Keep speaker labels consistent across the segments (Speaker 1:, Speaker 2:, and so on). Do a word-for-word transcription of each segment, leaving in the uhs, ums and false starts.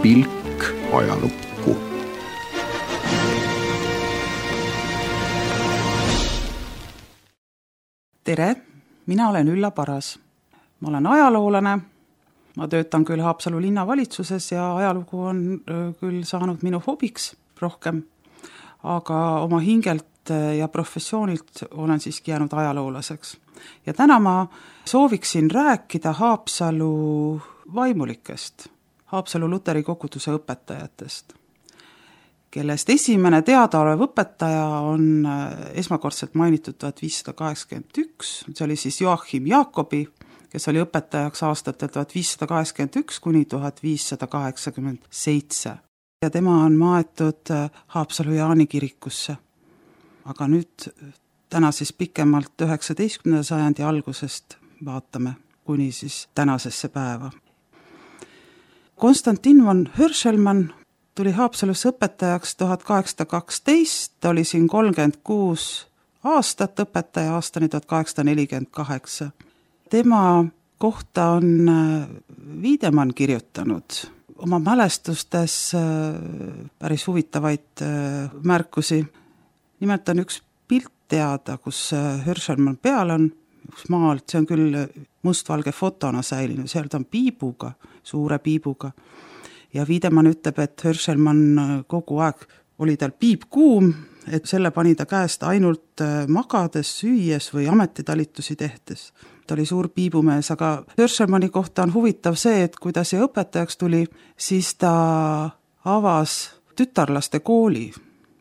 Speaker 1: pilk ajalukku.
Speaker 2: Tere, mina olen Ülla Paras. Ma olen ajaloolane, ma töötan küll Haapsalu linnavalitsuses ja ajalugu on küll saanud minu hobiks rohkem, aga oma hingelt ja professioonilt olen siiski jäänud ajaloolaseks. Ja täna ma sooviksin rääkida Haapsalu vaimulikest, Haapsalu luteri koguduse õpetajatest, kellest esimene teadaolev õpetaja on esmakordselt mainitud tuhat viissada kaheksakümmend üks, see oli siis Joachim Jacobi, kes oli õpetajaks aastatel tuhat viissada kaheksakümmend üks kuni tuhat viissada kaheksakümmend seitse. Ja tema on maetud Haapsalu Jaani kirikusse. Aga nüüd täna siis pikemalt üheksateistkümnenda sajandi algusest vaatame kuni siis tänasesse päeva. Konstantin von Hörselmann tuli Haapsalusse õpetajaks tuhat kaheksasada kaksteist, ta oli siin kolmkümmend kuus aastat õpetaja aastani tuhat kaheksasada nelikümmend kaheksa. Tema kohta on Wiedemann kirjutanud oma mälestustes päris huvitavaid märkusi. Nimelt on üks pilt teada, kus Hörselmann peal on, üks maalt, see on küll mustvalge fotona säilinud, seal ta on piibuga, suure piibuga. Ja Wiedemann ütleb, et Hörselmann kogu aeg oli tal piip kuum, et selle pani ta käest ainult magades, süües või ametitalitusi tehtes. Ta oli suur piibumees, aga Hörselmanni kohta on huvitav see, et kui ta siia õpetajaks tuli, siis ta avas tütarlaste kooli.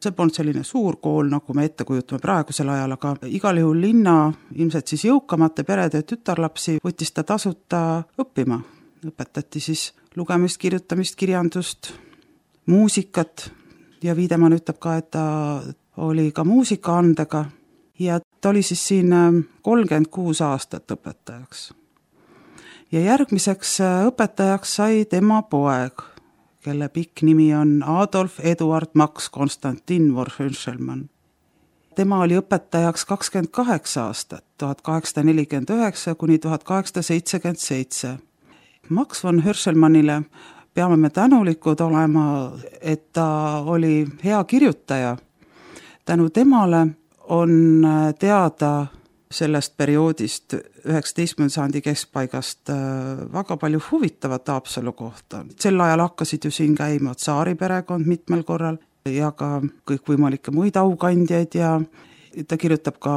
Speaker 2: See polnud selline suur kool, nagu me ette kujutame praegusel ajal, aga igal juhul linna, ilmselt siis jõukamate perede tütarlapsi võttis ta tasuta õppima. Õpetati siis lugemist, kirjutamist, kirjandust, muusikat ja Wiedemann ütleb ka, et ta oli ka muusikaandega ja ta oli siis siin kolmkümmend kuus aastat õpetajaks. Ja järgmiseks õpetajaks sai tema poeg, kelle pikk nimi on Adolf Eduard Max Konstantin von Hörselmann. Tema oli õpetajaks kakskümmend kaheksa aastat, tuhat kaheksasada nelikümmend üheksa kuni tuhat kaheksasada seitsekümmend seitse. Max von Hörselmannile peame me tänulikud olema, et ta oli hea kirjutaja. Tänu temale on teada sellest perioodist üheksateistkümnenda sajandi keskpaigast väga palju huvitavat Haapsalu kohta. Sel ajal hakkasid ju siin käima tsaari perekond mitmel korral ja ka kõikvõimalikke muid aukandjaid ja ta kirjutab ka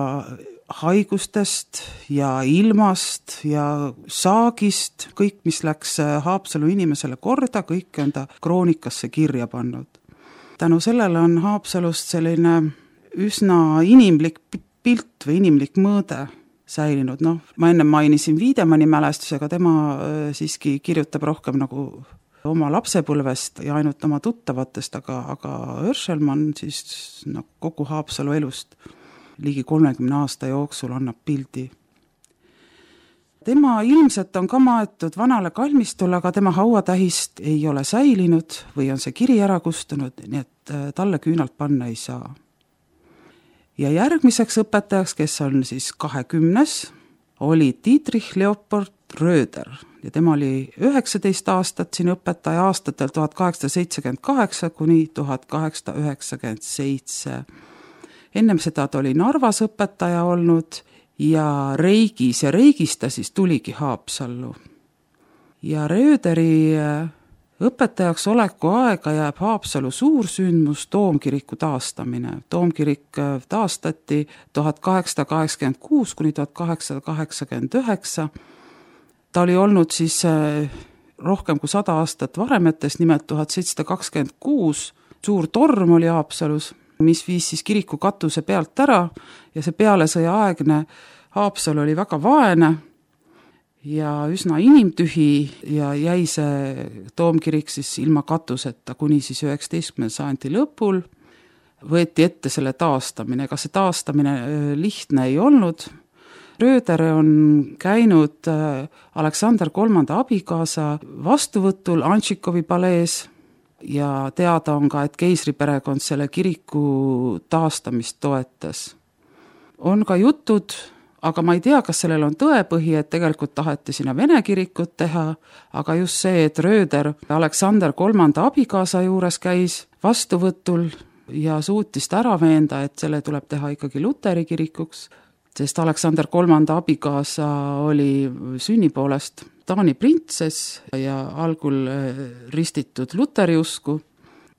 Speaker 2: haigustest ja ilmast ja saagist, kõik, mis läks Haapsalu inimesele korda, kõik on ta kroonikasse kirja pannud. Tänu sellele on Haapsalust selline üsna inimlik pilt või inimlik mõõde säilinud. No, ma enne mainisin Wiedemanni mälestusega, tema siiski kirjutab rohkem nagu oma lapsepõlvest ja ainult oma tuttavatest, aga, aga Hörselmann siis no, kogu Haapsalu elust ligi kolmekümne aasta jooksul annab pildi. Tema ilmselt on ka maetud vanale kalmistule, aga tema hauatähist ei ole säilinud või on see kiri ära kustunud, nii et talle küünalt panna ei saa. Ja järgmiseks õpetajaks, kes on siis kahekümnes, oli Dietrich Leopold Röder ja tema oli üheksateist aastat siin õpetaja aastatel tuhat kaheksasada seitsekümmend kaheksa kuni tuhat kaheksasada üheksakümmend seitse. Ennem seda ta oli Narvas õpetaja olnud ja Reigis ja Reigis ta siis tuligi Haapsallu. Ja Röderi õpetajaks oleku aega jääb Haapsalu suursündmus Toomkiriku taastamine. Toomkirik taastati tuhat kaheksasada kaheksakümmend kuus kuni tuhat kaheksasada kaheksakümmend üheksa. Ta oli olnud siis rohkem kui sada aastat varemetes, nimelt tuhat seitsesada kakskümmend kuus. Suur torm oli Haapsalus, mis viis siis kiriku katuse pealt ära ja see pealesõja aegne Haapsalu oli väga vaene ja üsna inimtühi ja jäi see Toomkirik siis ilma katuseta kuni siis üheksateistkümnenda sajandi lõpul. Võeti ette selle taastamine, ega see taastamine lihtne ei olnud. Röder on käinud Aleksander kolmanda abikaasa vastuvõtul Antšikovi palees ja teada on ka, et keisriperekond selle kiriku taastamist toetas. On ka jutud aga ma ei tea, kas sellel on tõepõhi, et tegelikult taheti sinna vene kirikut teha, aga just see, et Röder Aleksander kolmanda abikaasa juures käis vastuvõtul ja suutis ta ära veenda, et selle tuleb teha ikkagi luteri kirikuks, sest Aleksander kolmanda abikaasa oli sünni poolest Taani printsess ja algul ristitud luteri usku,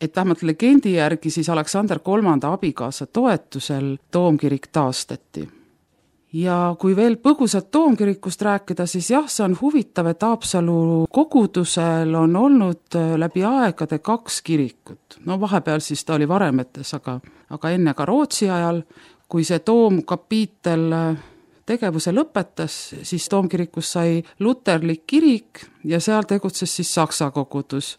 Speaker 2: et vähemalt legendi järgi siis Aleksander kolmanda abikaasa toetusel toomkirik taastati. Ja kui veel põgusalt toomkirikust rääkida, siis jah, see on huvitav, et Haapsalu kogudusel on olnud läbi aegade kaks kirikut. No vahepeal siis ta oli varemetes, aga, aga enne ka Rootsi ajal, kui see toomkapiitel tegevuse lõpetas, siis toomkirikus sai luterlik kirik ja seal tegutses siis saksa kogudus.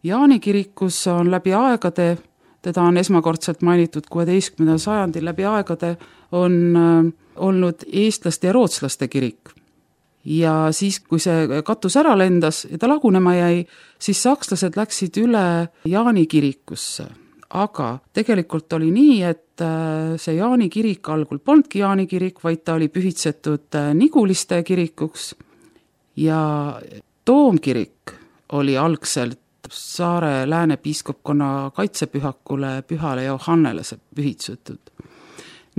Speaker 2: Jaani kirikus on läbi aegade, teda on esmakordselt mainitud kuueteistkümnendal sajandil, läbi aegade on olnud eestlaste ja rootslaste kirik. Ja siis, kui see katus ära lendas ja ta lagunema jäi, siis sakslased läksid üle Jaani kirikusse. Aga tegelikult oli nii, et see Jaani kirik algul polnudki Jaani kirik, vaid ta oli pühitsetud Niguliste kirikuks ja toomkirik oli algselt Saare lääne piiskopkonna kaitsepühakule Pühale Johannele pühitsetud.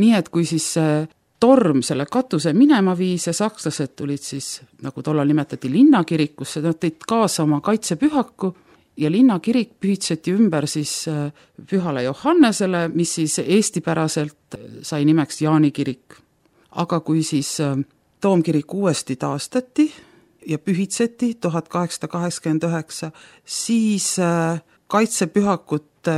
Speaker 2: Nii et kui siis see torm selle katuse minema viis ja sakslased tulid siis, nagu tollal nimetati linnakirikusse, nad tõid kaasa oma kaitsepühaku ja linnakirik pühitseti ümber siis Pühale Johannesele, mis siis eestipäraselt sai nimeks Jaani kirik. Aga kui siis toomkirik uuesti taastati ja pühitseti tuhat kaheksasada kaheksakümmend üheksa, siis kaitsepühakut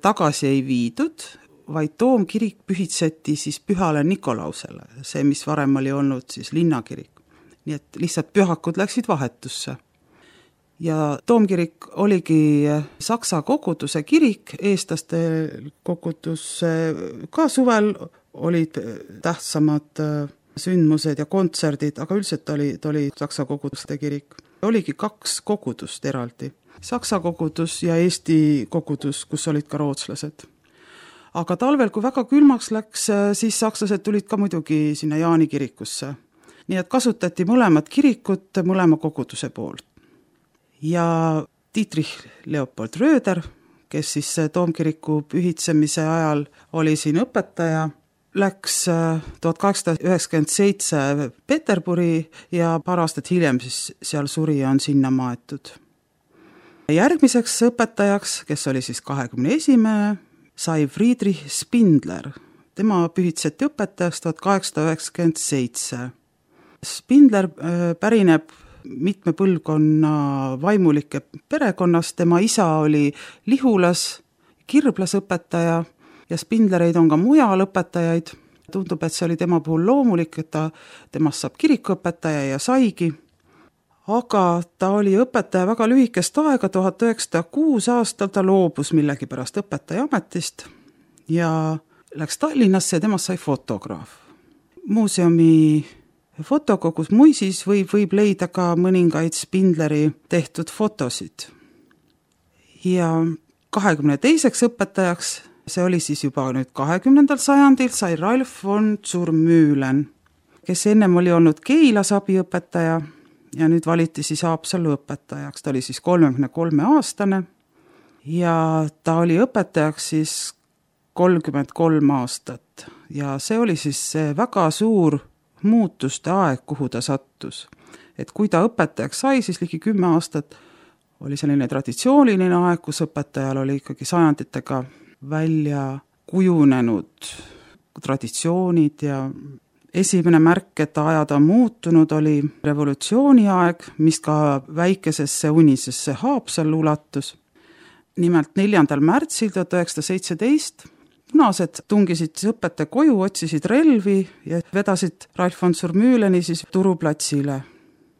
Speaker 2: tagasi ei viidud, vaid toomkirik pühitseti siis Pühale Nikolausele, see, mis varem oli olnud siis linnakirik. Nii et lihtsalt pühakud läksid vahetusse. Ja toomkirik oligi saksa koguduse kirik, eestlaste kogudus ka suvel olid tähtsamad sündmused ja kontserdid, aga üldiselt oli, oli saksa koguduste kirik. Oligi kaks kogudust eraldi. Saksa kogudus ja Eesti kogudus, kus olid ka rootslased. Aga talvel, kui väga külmaks läks, siis sakslased tulid ka muidugi sinna Jaani kirikusse. Nii et kasutati mõlemad kirikut mõlema koguduse poolt. Ja Dietrich Leopold Röder, kes siis toomkiriku pühitsemise ajal oli siin õpetaja, läks tuhat kaheksasada üheksakümmend seitse Peterburi ja paar aastat hiljem siis seal suri ja on sinna maetud. Järgmiseks õpetajaks, kes oli siis kahekümne esimene, sai Friedrich Spindler. Tema pühitseti õpetajaks tuhat kaheksasada üheksakümmend seitse. Spindler pärineb mitme põlvkonna vaimulike perekonnast. Tema isa oli Lihulas, kirblasõpetaja ja Spindlereid on ka mujal õpetajaid. Tundub, et see oli tema puhul loomulik, et ta, temast saab kirikuõpetaja ja saigi. Aga ta oli õpetaja väga lühikest aega, tuhat üheksasada kuus aastal ta loobus millegi pärast õpetaja ametist ja läks Tallinnasse ja temast sai fotograaf. Muuseumi fotokogus Muisis võib, võib leida ka mõningaid Spindleri tehtud fotosid. Ja kahekümne teiseks õpetajaks, see oli siis juba nüüd kahekümnendal sajandil, sai Ralf von Zurmühlen, kes ennem oli olnud Keilas abiõpetaja ja nüüd valiti siis Haapsalu õpetajaks. Ta oli siis kolmekümne kolme aastane ja ta oli õpetajaks siis kolmkümmend kolm aastat ja see oli siis väga suur muutuste aeg, kuhu ta sattus. Et kui ta õpetajaks sai, siis ligi kümme aastat oli selline traditsiooniline aeg, kus õpetajal oli ikkagi sajanditega välja kujunenud traditsioonid ja esimene märk, et ajad on muutunud, oli revolutsiooni aeg, mis ka väikesesse unisesse Haapsallu ulatus. Nimelt neljandal märtsil tuhat üheksasada seitseteist punased tungisid õpetaja koju, otsisid relvi ja vedasid Ralf von Zurmühleni siis Turuplatsile.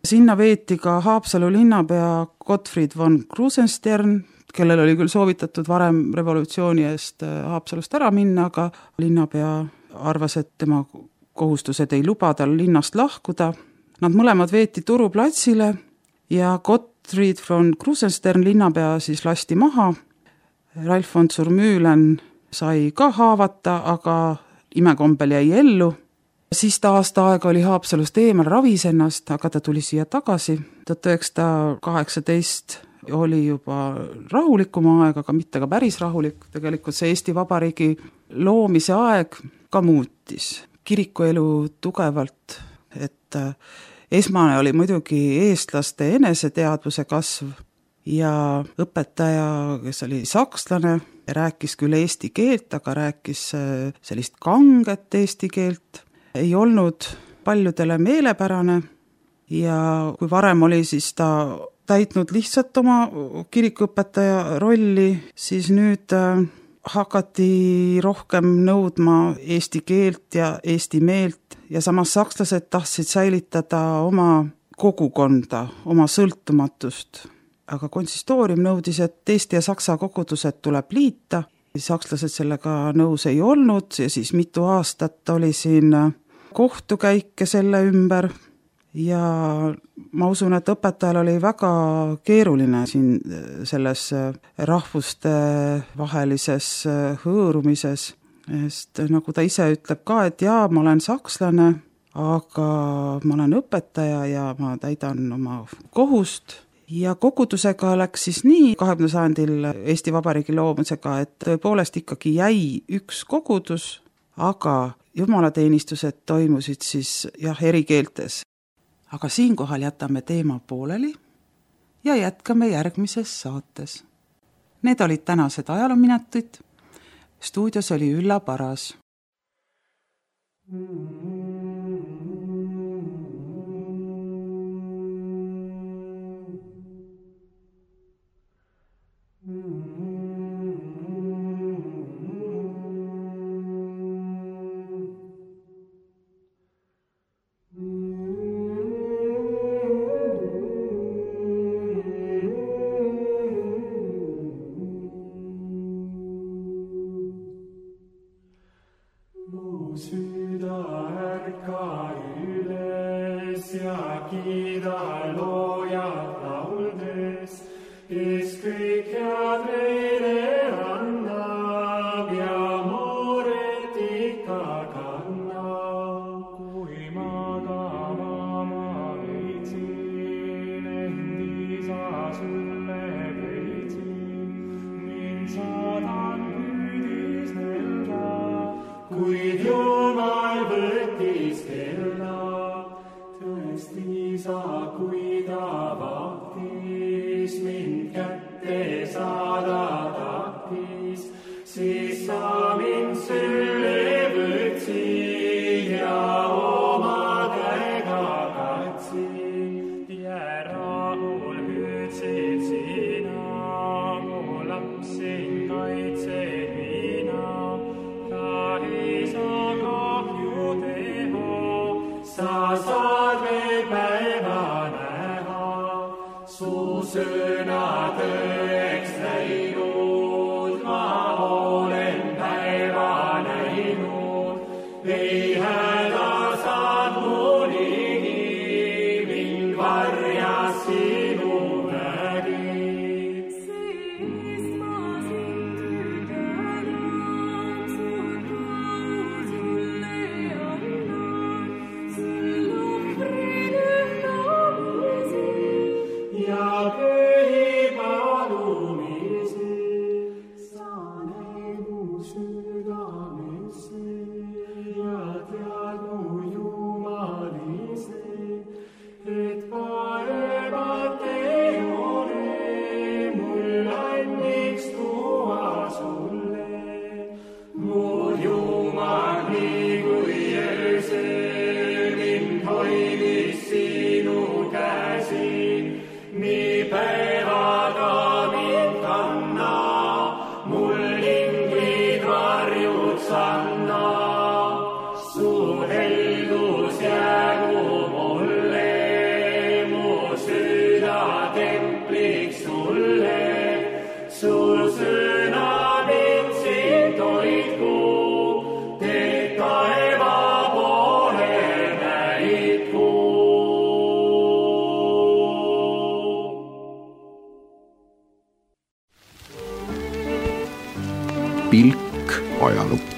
Speaker 2: Sinna veeti ka Haapsalu linnapea Gottfried von Krusenstern, kellel oli küll soovitatud varem revolutsiooni eest Haapsalust ära minna, aga linnapea arvas, et tema kohustused ei luba tal linnast lahkuda. Nad mõlemad veeti Turuplatsile ja Gottfried von Krusenstern linnapea siis lasti maha. Ralf von Zurmühlen sai ka haavata, aga imekombel jäi ellu Siis ta aasta aega oli Haapsalust eemal, ravis ennast, aga ta tuli siia tagasi. tuhat üheksasada kaheksateist oli juba rahulikum aeg, aga mitte ka päris rahulik. Tegelikult see Eesti Vabariigi loomise aeg ka muutis kirikuelu tugevalt, et esmane oli muidugi eestlaste eneseteadvuse kasv ja õpetaja, kes oli sakslane, rääkis küll eesti keelt, aga rääkis sellist kanget eesti keelt, ei olnud paljudele meelepärane ja kui varem oli siis ta täitnud lihtsalt oma kirikuõpetaja rolli, siis nüüd hakati rohkem nõudma eesti keelt ja eesti meelt ja samas sakslased tahtsid säilitada oma kogukonda, oma sõltumatust. Aga konsistoorium nõudis, et eesti ja saksa kogudused tuleb liita. Sakslased sellega nõus ei olnud ja siis mitu aastat oli siin kohtukäike selle ümber ja ma usun, et õpetajal oli väga keeruline siin selles rahvuste vahelises hõõrumises, sest nagu ta ise ütleb ka, et jaa, ma olen sakslane, aga ma olen õpetaja ja ma täidan oma kohust. Ja kogudusega läks siis nii kahekümnendal sajandil Eesti Vabariigi loomisega, et tõepoolest ikkagi jäi üks kogudus, aga jumalateenistused toimusid siis jah, eri keeltes. Aga siinkohal jätame teema pooleli ja jätkame järgmises saates. Need olid tänased ajaloominutid. Stuudios oli Ülla Paras.
Speaker 3: Kuid Jumal võttis kella, tõesti sa, kui ta vahtis, mind kätte saada tahtis, siis sa mind sülle võtsid ja oma käega katsid. Ja rahul hüüdsid sina, mu lapsin kaitsed mina. Sa saad veel päeva näha, su sõna tõeks läinud, ma olen päeva näinud, ei häda saad mu ligi, mind varjas sinu nägi. Siis ma sind tänan, su tänu sulle annan. Ja pühi palumisi, sa näed mu südamesse ja tead mu jumalise, et paremat ei ole mul anniks tuua sulle. Mu Jumal, nii kui öösel mind hoidis sinu käsi, nii päevaga mind kanna, mul inglid varjud sanna. Su heldus jäägu mulle, mu süda templiks sulle. Su sõna mind sind hoidku, teed taeva poole näidku.
Speaker 1: Pilk ajalukku.